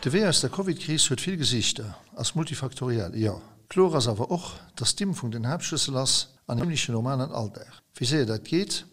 De Wee aus der Covid-Kris huet vill Gesiichter, ass multifaktoriell, jo. Kloer ass awer och, dass d'Impfung den Haaptschlëssel ass an een zimmleche normalen Alldag. Wéi séier dat geet,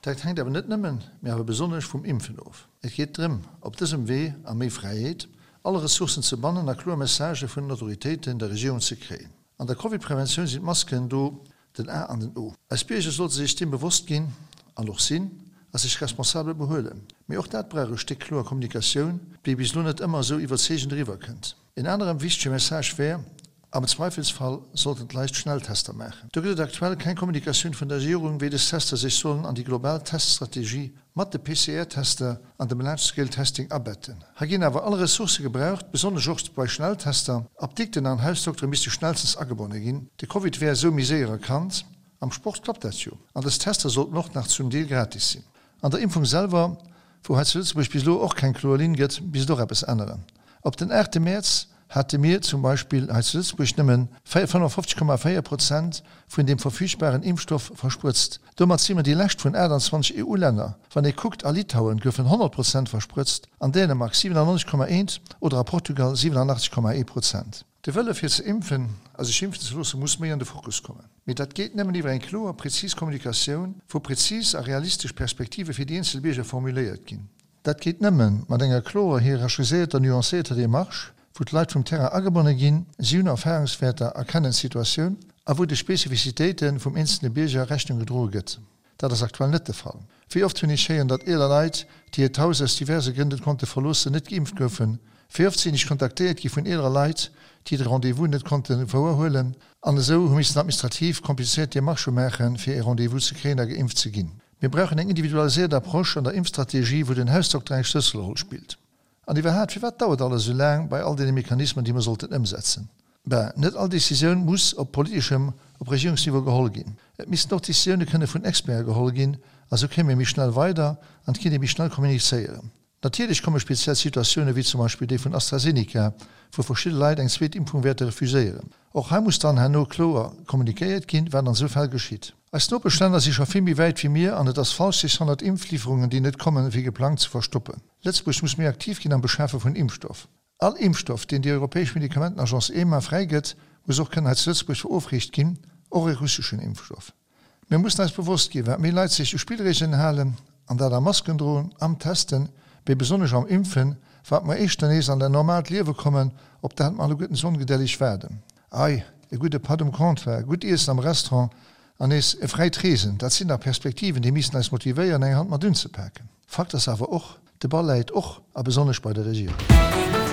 dat hänkt awer net nëmmen, mee awer besonnesch vum Impfen of. Et geet drëm, op dësem Wee a méi Fräiheet, all Ressourcen ze bannen a kloer Messagë vun den Autoritéiten, der Regierung ze kréien. An der Covid-Preventioun sinn d'Masken do den A an den O. Eis Bierger sollte sech deem bewosst ginn, an och sinn, a sech responsabel behuelen. Mee och dat brauch e Stéck kloer Kommunikatioun, déi bis elo net ëmmer esou iwwerzeegend eriwwer kënnt. En aneren wichtege Message wär, Am Zweifelsfall sollten d'Leit Schnelltester maachen. Do gëtt et aktuell keng Kommunikatioun vun der Regierung, wéi dës Tester sech sollen an déi global Teststrategie mat de PCR-Tester an dem Large-Scale Testing abetten. Hei ginn awer all Ressourcë gebraucht, besonnesch och bei Schnelltester. Apdikten an Hausdoktere misste schnellstens agebonne ginn. De Covid wär esou méi séier erkannt. Am Sport klappt dat jo. An dës Tester sollten och nach zum Deel gratis sinn. An der Impfung selwer, wou hei zu Lëtzebuerg bis elo och keng kloer Linn gëtt, misst och eppes änneren. Op den aachte Mäerz hate mir zum Beispill hei zu Lëtzebuerg nëmmen 55,4 Prozent vun deem verfügbaren Impfstoff versprëtzt. Domat si mer déi lescht vun 28 EU-Länner. Wann ee kuckt, a Litauen goufen 100 Prozent versprëtzt, an Dänemark 97,1 oder a Portugal 87,1 Prozent. De Wëlle fir ze impfen a sech impfen ze loosse muss méi an de Fokus kommen. Mee dat geet nëmmen iwwer eng kloer, prezis Kommunikatioun, wou prezis a realistesch Perspektive fir déi eenzel Bierger formuléiert ginn. Dat geet nëmme mat enger klorer, hierarchiséierter, nuancéierter Demarche, wou d'Leit vum Terrain agebonne ginn, si hunn Erfahrungswäerter a kennen d'Situatioun, a wou de Spezifizitéite vum eenzelne Bierger Rechnung gedroe gëtt. Dat ass aktuell net de Fall. Wéi oft hunn ech héieren, datt eeler Leit, déi hiert Haus aus diverse Grënn net konnte verloossen, net geimpft goufen. Wéi oft sinn ech kontaktéiert gi vun eelere Leit, déi de Rendez-vous net konnte wouerhuelen an esou hu missen administrativ komplizéiert Demarchë maachen, fir ee Rendez-vous ze kréien a geimpft ze ginn. Mir brauchen eng individualiséiert Approche an der Impfstrategie, wou den Hausdokter eng Schlësselroll spillt. An iwwerhaat, firwat dauert alles esou laang bei all deene Mechanismen, déi mer sollten ëmsetzen? Ben, net all Décisioun muss op politeschem, op Regierungsniveau geholl ginn. Et missten och Décisioune kënne vun Experte geholl ginn, a sou kéim ee méi schnell weider an et kéint ee méi schnell kommunizéieren. Natierlech komme speziell Situatioune wéi zum Beispill déi vun AstraZeneca, wou verschidde Leit eng zweet Impfung wäerte refuséieren. Och hei muss dann herno kloer kommunikéiert ginn, wat an esou Fäll geschitt. Eis Nopeschlänner si scho vill méi wäit wéi mir an et ass falsch, sech hannert Impfliwwerungen, déi net kommen, wéi geplangt, ze verstoppen. Lëtzebuerg muss méi aktiv ginn am Beschafe vun Impfstoff. All Impfstoff, deen déi europäesch Medikamentenagence EMA fräigëtt, muss och kënnen hei zu Lëtzebuerg verofreecht ginn, och e russeschen Impfstoff. Mir mussen eis bewosst ginn, wat méi Leit sech u Spillreegelen halen, an dat am Masken droen, am Testen, mee besonnesch am Impfen, wat mer éischter nees an dat normaalt Liewe kommen, op dat mer alleguerten esou ongedelleg waarden. Ei, e gudde Patt um Comptoir, gutt Iessen am Restaurant an nees e fräit Reesen, dat sinn dach Perspektiven, déi missten eis motivéieren, eng Hand mat unzepaken. Fakt ass awer och, de Ball läit och a besonnesch bei der Regierung.